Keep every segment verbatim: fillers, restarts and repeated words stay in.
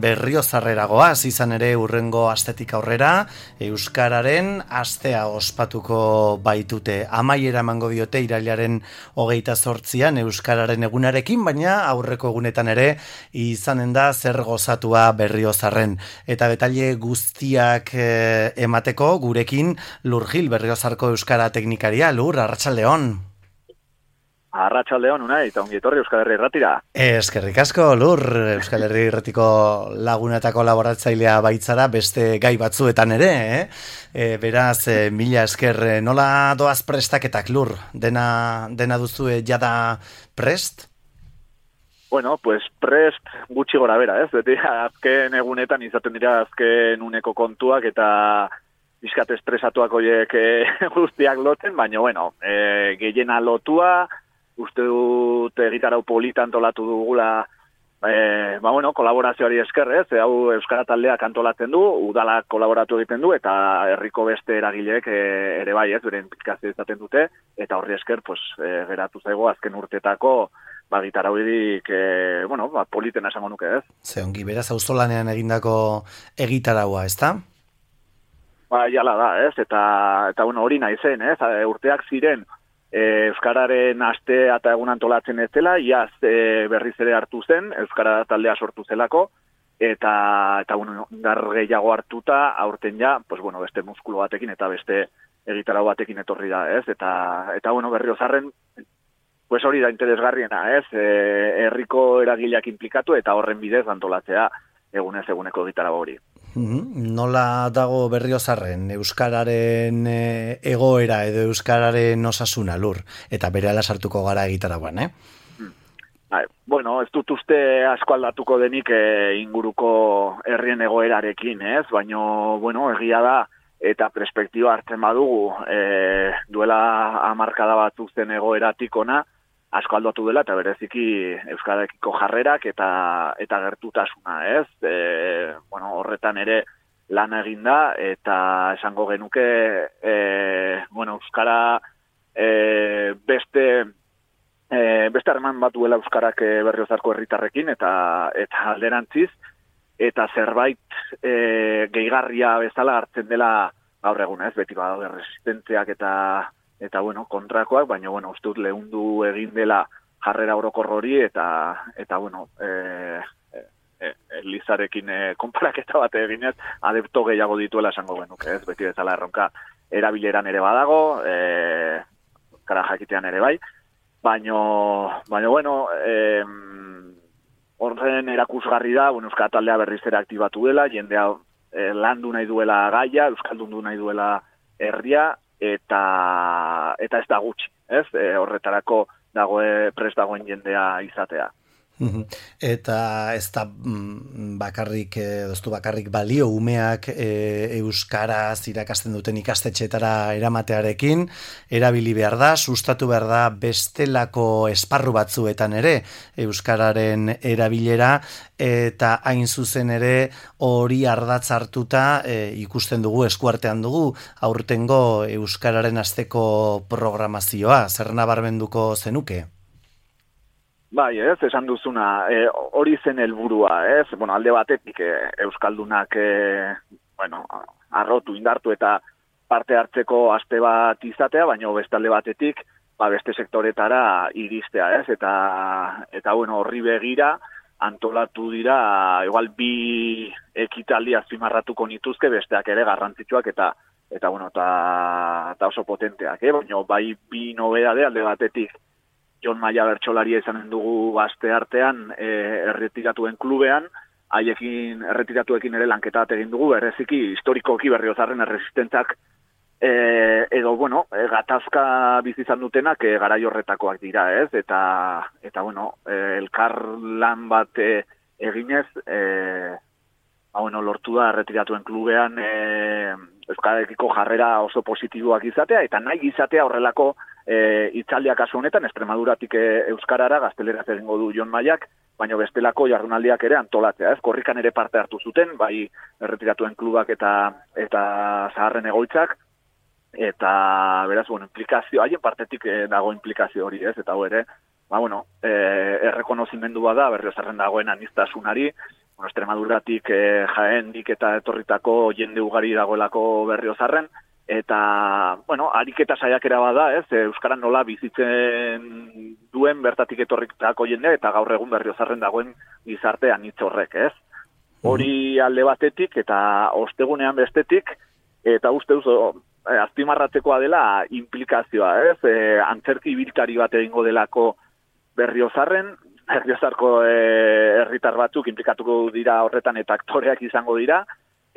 Berriozarreragoaz izan ere urrengo astetik aurrera Euskararen astea ospatuko baitute. Amaiera emango diote irailaren hogeita zortzian Euskararen egunarekin, baina aurreko egunetan ere izanen da zer gozatua Berriozarren. Eta detaile guztiak eh, emateko gurekin Lur Gil, Berriozarko Euskara teknikaria. Lur, arratsaldeon. Arratsaldeon, unai, eta ongi etorri Euskal Herri Irratira. Eskerrik asko, Lur, Euskal Herri Irratiko laguna eta kolaboratzailea baitzara beste gai batzuetan ere, eh? E, beraz, e, mila esker, nola doaz prestaketak, Lur? Dena, dena duzu jada prest? Bueno, pues prest gutxi gora bera, ez? Beti azken egunetan izaten dira azken uneko kontuak eta bizkat estresatuak horiek e, guztiak lotzen, baina, bueno, e, gehiena lotua, uste dut egitarau polita antolatu dugula, e, ba bueno, kolaborazioari esker, ez? E, hau Euskara taldeak antolatzen du, udalak kolaboratu egiten du, eta herriko beste eragileek e, ere bai, ez? Beren pizkazio izaten dute, eta horri esker, pues, e, geratu zaigo azken urtetako, ba, gitarau edik, e, bueno, ba, politena esango nuke, ez? Ze ongi, beraz, auzolanean egindako egitaraua, ezta? Ba, jala da, ez? Eta, eta bueno, hori nahi zen, ez? Urteak ziren, E, Euskararen aste eta egun antolatzen ez dela, iaz e, berriz ere hartu zen, Euskara taldea sortu zelako, eta, eta bueno, gar gehiago hartuta, aurten ja, pues, bueno, beste muskulo batekin eta beste egitarau batekin etorri da, ez? Eta, eta bueno, Berriozarren, pues hori da interesgarriena, ez? E, herriko eragileak implikatu eta horren bidez antolatzea egunez eguneko egitarau hori. Nola dago Berriozarren Euskararen egoera edo Euskararen osasuna, Lur? Eta berehala sartuko gara egitaragoan, eh? Hmm. Bueno, ez dut uste asko aldatuko denik e, inguruko herrien egoerarekin, ez? Baina, bueno, egia da, eta perspektiba hartzen badugu, e, duela hamarkada batzuk zen egoeratik ona, asko aldatu dela, eta bereziki Euskarekiko jarrerak eta eta gertutasuna, ez? E, bueno, horretan ere lan eginda, eta esango genuke, e, bueno, Euskara e, beste e, beste harreman bat duela Euskarak Berriozarko herritarrekin, eta eta alderantziz, eta zerbait e, gehigarria bezala hartzen dela gaur egun, ez? Beti badaude resistentziak eta eta bueno, kontrakoak, baina bueno, uste dut lehundu egin dela jarrera orokor hori eta eta bueno, eh e, e, Elizarekin e, konparaketa bat eginez, adepto gehiago dituela esango genuke, ez? Beti bezala erronka erabileran ere badago, eh kara jakitean ere bai, baina baina bueno, eh horren erakusgarri da, bueno, Euskara taldea berriz ere aktibatu dela, jendea e, landu nahi duela gaia, euskaldundu nahi duela herria, eta eta ez da gutxi, ez? E, horretarako dagoe prest dagoen jendea izatea. Eta ez da bakarrik, doztu bakarrik balio umeak e, euskaraz irakasten duten ikastetxeetara eramatearekin, erabili behar da, sustatu behar da bestelako esparru batzuetan ere euskararen erabilera, eta hain zuzen ere hori ardatz hartuta e, ikusten dugu, eskuartean dugu, aurtengo euskararen asteko programazioa, zer nabarmenduko zenuke? Bai, ez, esan duzuna, e, hori zen helburua, ez, bueno, alde batetik e, euskaldunak, e, bueno, arrotu, indartu eta parte hartzeko aste bat izatea, baina beste alde batetik, ba, beste sektoretara iristea, ez, eta, eta bueno, horri begira, antolatu dira, igual bi ekitaldi azpimarratuko nituzke, besteak ere garrantzitsuak eta, eta bueno, eta, eta oso potenteak, eh? Baina bai bi nobedade alde batetik, Jon Maia bertsolaria izanen dugu aste artean e, erretiratuen klubean, haiekin erretiratuekin ere lanketa bat egin dugu, bereziki historikoki Berriozarren erresistentzak e, edo, bueno, e, gatazka bizi izan dutenak e, garai horretakoak dira, ez? Eta, eta bueno, e, elkar lan bat e, eginez, e, ba, bueno, lortu da erretiratuen klubean e, Euskarekiko jarrera oso positiboak izatea, eta nahi izatea horrelako E, itzaldiak kasu honetan, Extremaduratik e, Euskarara, gazteleraz egingo du Jon Maiak, baina bestelako jardunaldiak ere antolatzea, ez? Korrikan ere parte hartu zuten, bai erretiratuen klubak eta eta zaharren egoitzak, eta beraz, bueno, implikazio, haien partetik e, dago implikazio hori, ez? Eta hau ere, ba, bueno, e, errekonozimendu bada, Berriozarren dagoen aniztasunari, Extremaduratik, e, Jaendik eta etorritako jende ugari dagoelako Berriozarren, eta, bueno, ariketa saiakera bada, ez, euskaran nola bizitzen duen bertatik etorritako jendea, eta gaur egun Berriozarren dagoen gizartean hitz horrek, ez. Hori alde batetik, eta ostegunean bestetik, eta uste duzu, azpimarratzekoa dela implikazioa, ez, e, antzerki ibiltari bat egingo delako Berriozarren, Berriozarko herritar batzuk implikatuko dira horretan eta aktoreak izango dira,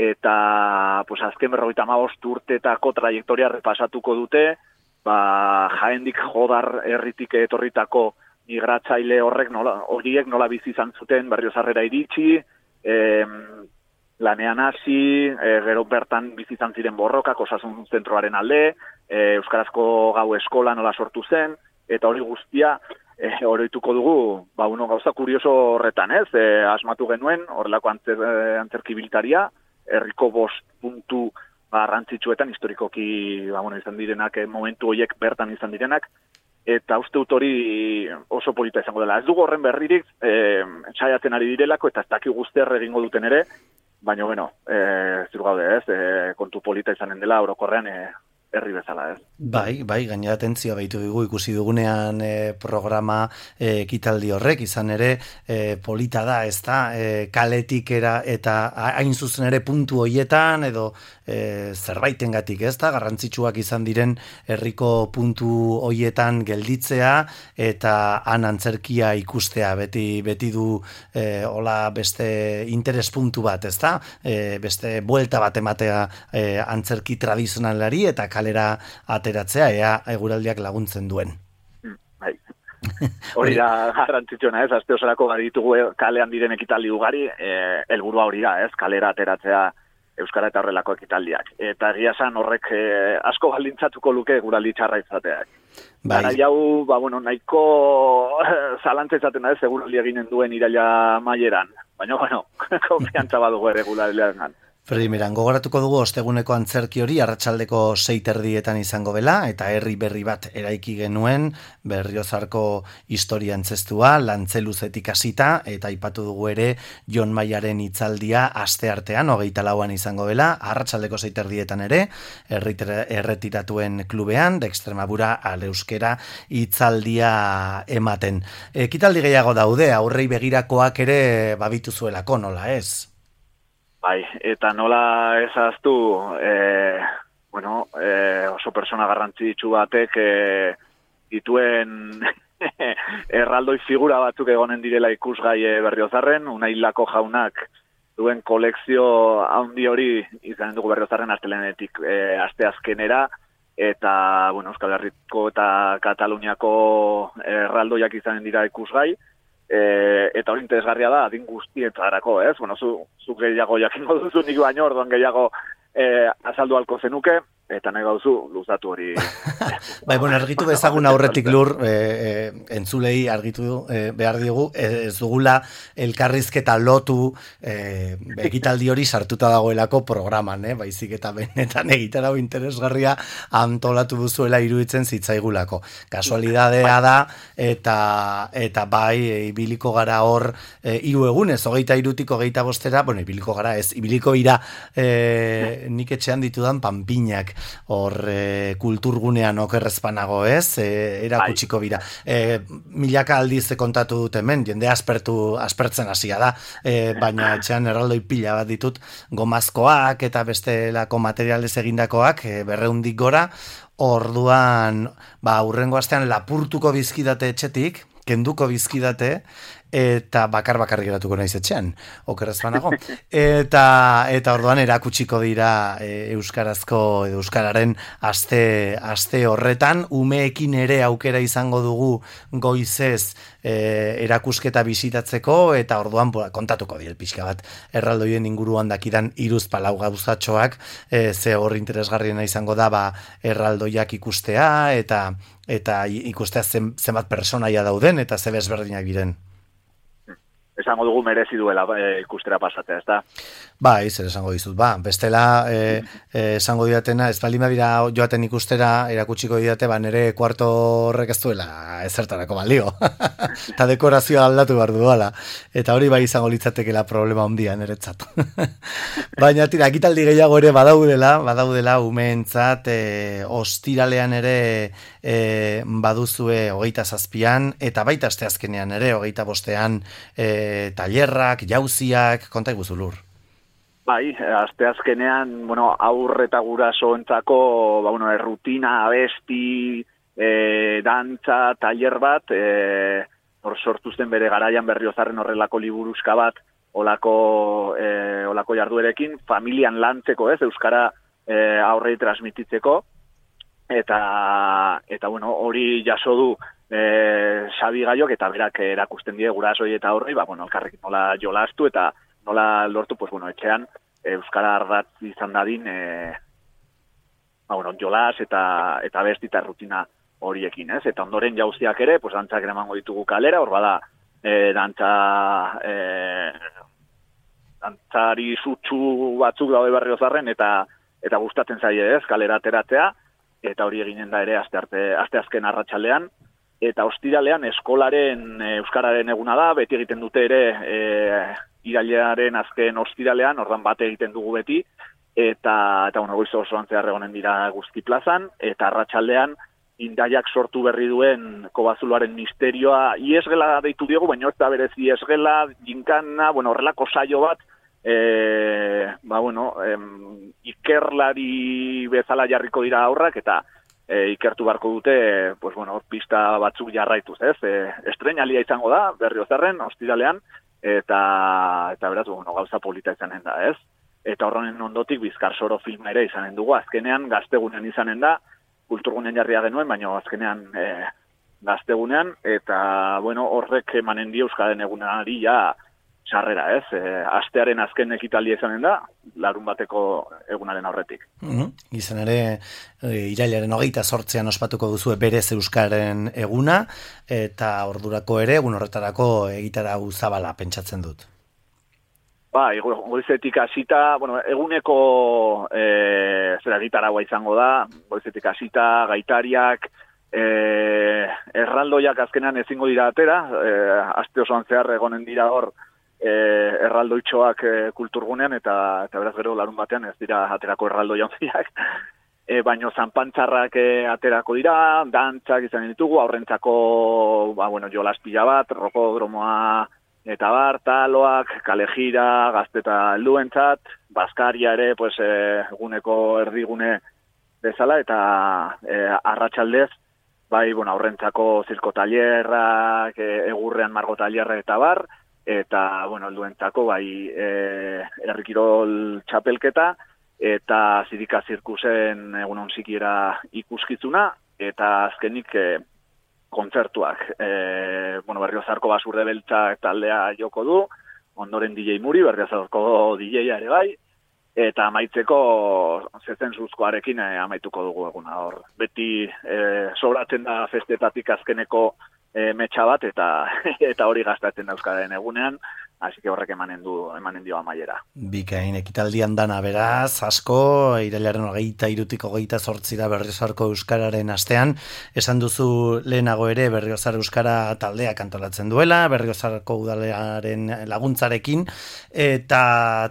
eta pues, azken berrogeita hamabost urtetako trajektoria repasatuko dute, ba, Jaendik Jodar herritik etorritako migratzaile horrek nola, horiek nola bizi izan zuten Berriozarrera iritsi, em, lanean hasi, e, gero bertan bizi izan ziren borrokak osasun zentroaren alde, e, Euskarazko gau eskola nola sortu zen, eta hori guztia, E, oroituko dugu, ba, uno gauza kurioso horretan, ez? E, asmatu genuen, horrelako antzer, antzerkibiltaria, herriko bost puntu garrantzitsuetan, historikoki, ba, bueno, izan direnak, momentu horiek bertan izan direnak, eta uste dut hori oso polita izango dela. Ez dugu horren berririk, e, saiatzen ari direlako, eta ez daki guzter egingo duten ere, baina, bueno, e, ziru gaude, ez? E, kontu polita izanen dela, orokorrean, e, herri bezala, ez? Bai, bai, gainera atentzioa baitu dugu ikusi dugunean e, programa e, ekitaldi horrek, izan ere e, polita da, ez da, e, kaletik era, eta hain zuzen ere puntu hoietan, edo e, zerbaitengatik, ez da, garrantzitsuak izan diren herriko puntu hoietan gelditzea, eta han antzerkia ikustea, beti, beti du e, hola beste interes puntu bat, ez da, e, beste buelta bat ematea e, antzerki tradizionalari, eta kalera ateratzea, ea eguraldiak laguntzen duen. Bai. Hori da garrantzitsuena, ez? Aste osorako ditugu kalean diren ekitaldi ugari, eh, helburua hori da, ez? Kalera ateratzea euskara eta horrelako ekitaldiak. Eta egia esan horrek eh, asko baldintzatuko luke eguraldi txarra izateak. Bai. Gara jau, ba, bueno, nahiko zalantza izaten da, ez? Eguraldi eginen duen iraila maieran. Baina, bueno, konfiantza badugu ere eguraldian. Primeran, gogoratuko dugu osteguneko antzerki hori arratsaldeko sei erdietan izango dela, eta herri berri bat eraiki genuen, Berriozarko historia antzestua, lantzeluzetik hasita, eta aipatu dugu ere Jon Maiaren hitzaldia asteartean, hogeita lauan izango dela, arratsaldeko sei erdietan ere, erretiratuen klubean, de Extremadura al euskera hitzaldia ematen. Ekitaldi gehiago daude, aurrei begirakoak ere babitu zuelako, nola ez? Bai, eta nola ezaztu, e, bueno, e, oso persona garrantzitsu batek e, dituen erraldoi figura batzuk egonen direla ikusgai Berriozarren, Unai Lako jaunak duen kolekzio handi hori izan dugu Berriozarren astelenetik e, asteazkenera, eta, bueno, Euskal Herriko eta Kataluniako erraldoiak izanen dira ikusgai, E, eta hori interesgarria da, adin guztietarako, ez? Bueno, zu, zu gehiago jakingo duzu nik baino, orduan gehiago e, azaldu halko zenuke, eta nahi gauzu, luzatu hori. Bai, bueno, argitu bezagun aurretik lur, e, e, entzulei argitu e, behar diogu, ez dugula elkarrizketa lotu e, ekitaldi hori sartuta dagoelako programan, eh? Baizik eta benetan egitarau interesgarria antolatu duzuela iruditzen zitzaigulako. Kasualidadea da, eta eta bai, ibiliko gara hor e, hiru egunez, hogeita irutik hogeita bostera, bueno, ibiliko gara ez, ibiliko ira e, nik etxean ditudan panpinak, hor e, kulturgunean okerrezpanago, ez? E, erakutsiko bira. E, milaka aldiz kontatu dut hemen, jende aspertu, aspertzen hasia da, e, baina etxean erraldoi pila bat ditut, gomazkoak eta bestelako materialez egindakoak, e, berreundik gora, orduan, ba, urrengo astean lapurtuko bizkidate etxetik, kenduko bizkidate, eta bakar-bakar geratuko naiz etxean, okerrez banago. Eta, eta orduan erakutsiko dira e, euskarazko edo euskararen aste, aste horretan, umeekin ere aukera izango dugu goizez e, erakusketa bisitatzeko, eta orduan bo, kontatuko diel pixka bat erraldoien inguruan dakidan iruz palau gauzatxoak, e, ze hor interesgarriena izango da ba, erraldoiak ikustea, eta eta ikustea zen, zenbat personaia dauden, eta ze bezberdinak diren. esango dugu merezi duela e, ikustera pasatzea, ez da? Ba, zer esango dizut, ba, bestela e, e, esango didatena, ez baldin badira joaten ikustera, erakutsiko didate, ba, nere kuarto horrek ez duela ezertarako balio. Eta dekorazioa aldatu behar duela. Eta hori bai izango litzatekela problema handia niretzat. Baina, tira, ekitaldi gehiago ere badaudela, badaudela umeentzat, e, ostiralean ere e, baduzue hogeita zazpian, eta baita asteazkenean ere, hogeita bostean, e, tailerrak, jauziak, konta iguzu Lur. Bai, asteazkenean, bueno, aurre eta gurasoentzako, ba, bueno, errutina, abesti, e, dantza, tailer bat, e, hor sortu zen bere garaian Berriozarren horrelako liburuska bat, olako, e, olako jarduerekin, familian lantzeko, ez, euskara e, aurrei transmititzeko, eta, eta bueno, hori jaso du e, Xabi Gaiok, eta berak erakusten die gurasoi eta aurrei, ba, bueno, elkarrekin nola jolastu, eta nola lortu, pues, bueno, etxean, euskara ardatz izan dadin, e, ba, bueno, jolas eta, eta besti eta rutina horiekin, ez? Eta ondoren jauziak ere, pues, dantzak eramango ditugu kalera, hor bada, e, dantza, e, dantzari zutsu batzuk daude Berriozarren, eta, eta gustatzen zaie, ez? Kalera ateratzea, eta hori eginen da ere aste arte, aste azken arratsaldean, eta ostiralean eskolaren e, euskararen eguna da, beti egiten dute ere, e, irailaren azken ostiralean, ordan bate egiten dugu beti, eta, eta bueno, goiz osoan zehar egonen dira guzti plazan, eta arratsaldean Indaiak sortu berri duen Kobazuloaren misterioa, iesgela deitu diogu, baina ez da berezi iesgela, jinkana, bueno, horrelako saio bat, e, ba, bueno, em, ikerlari bezala jarriko dira aurrak, eta e, ikertu beharko dute, pues, bueno, pista batzuk jarraituz, ez? E, estreinalia izango da, Berriozarren, ostiralean, eta, eta beraz, bueno, gauza polita izanen da, ez? Eta horren ondotik Bizkarsoro filma ere izanen dugu, azkenean gaztegunean izanen da, kulturgunean jarria genuen, baina azkenean e, gaztegunean, eta, bueno, horrek emanen dio euskaren egunari ja sarrera, ez? E, astearen azken ekitaldia izanen da, larun bateko egunaren aurretik. Mm-hmm. Izan ere, e, irailaren hogeita sortzean ospatuko duzue berez euskaren eguna, eta ordurako ere, egun horretarako egitarau zabala pentsatzen dut. Ba, goizetik hasita, bueno, eguneko e, zera gitaragua izango da, goizetik hasita, gaitariak, e, erraldoiak azkenan ezingo dira atera, e, aste osoan zehar egonen dira hor e, erraldoitxoak e, kulturgunean, eta, eta beraz gero larun batean ez dira aterako erraldoi handiak, e, baino zanpantzarrak e, aterako dira, dantzak izan ditugu, aurrentzako, ba, bueno, jolas pila bat, rokodromoa, eta bar, taloak, kalejira, gazteta helduentzat, Baskaria ere, pues, e, eguneko erdigune bezala, eta e, arratsaldez, bai, bueno, aurrentzako zirko tailerrak, e, egurrean margo tailerra eta bar, eta, bueno, helduentzako, bai, e, herrikirol txapelketa, eta zirika zirkusen egunon sikiera ikuskizuna, eta azkenik, e, kontzertuak. E, bueno, Berriozarko Basurde Beltzak taldea joko du, ondoren D J Muri, Berriozarko D J ere bai, eta amaitzeko zezen zuzkoarekin e, amaituko dugu eguna. Hor, beti e, sobratzen da festetatik azkeneko e, metxa bat, eta eta hori gastatzen da euskaren egunean, hasi que horrek emanen du, emanen dio amaiera. Bikain, ekitaldian dana beraz, asko, irailaren hogeita irutik hogeita zortzira Berriozarko euskararen astean, esan duzu lehenago ere Berriozar euskara taldea antolatzen duela, Berriozarko udalearen laguntzarekin, eta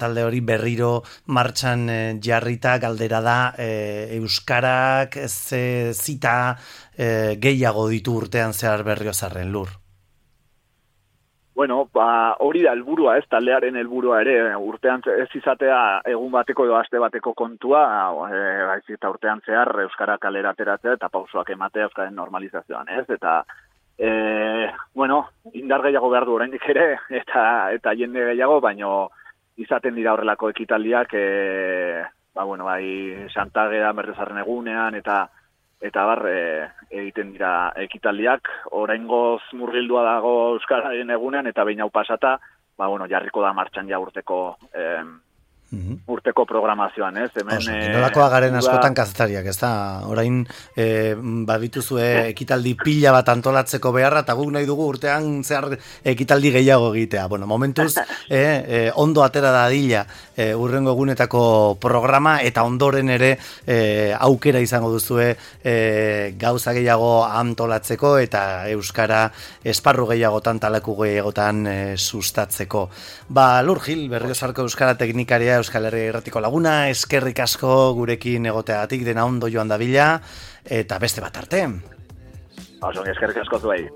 talde hori berriro martxan jarrita galdera da e, euskarak ze zita e, gehiago ditu urtean zehar Berriozarren Lur. Bueno, ba, hori da helburua, ez, taldearen helburua ere, urtean ez izatea egun bateko edo aste bateko kontua, e, baizik eta urtean zehar euskara kalera ateratzea eta pausoak ematea euskaren normalizazioan, ez, eta, e, bueno, indar gehiago behar du oraindik ere, eta eta jende gehiago, baino izaten dira horrelako ekitaldiak, e, ba, bueno, bai, Santageda, Berriozarren egunean, eta eta bar, e, egiten dira ekitaldiak, oraingoz murgildua dago euskararen egunean, eta behin hau pasata, ba, bueno, jarriko da martxan ja urteko e, urteko programazioan, ez? Hemen, e, nolakoa garen uda... askotan kazetariak, ez da? Orain, e, badituzue ekitaldi pila bat antolatzeko beharra, eta guk nahi dugu urtean zehar ekitaldi gehiago egitea. Bueno, momentuz, e, e, ondo atera da dila e, urrengo egunetako programa, eta ondoren ere e, aukera izango duzue e, gauza gehiago antolatzeko, eta euskara esparru gehiagotan, talaku gehiagotan e, sustatzeko. Ba, Lur Gil, Berriozarko euskara teknikaria, Euskal Herria Irratiko laguna, eskerrik asko gurekin egoteagatik, dena ondo joan dabila, eta beste bat arte. Oso, eskerrik asko zuei.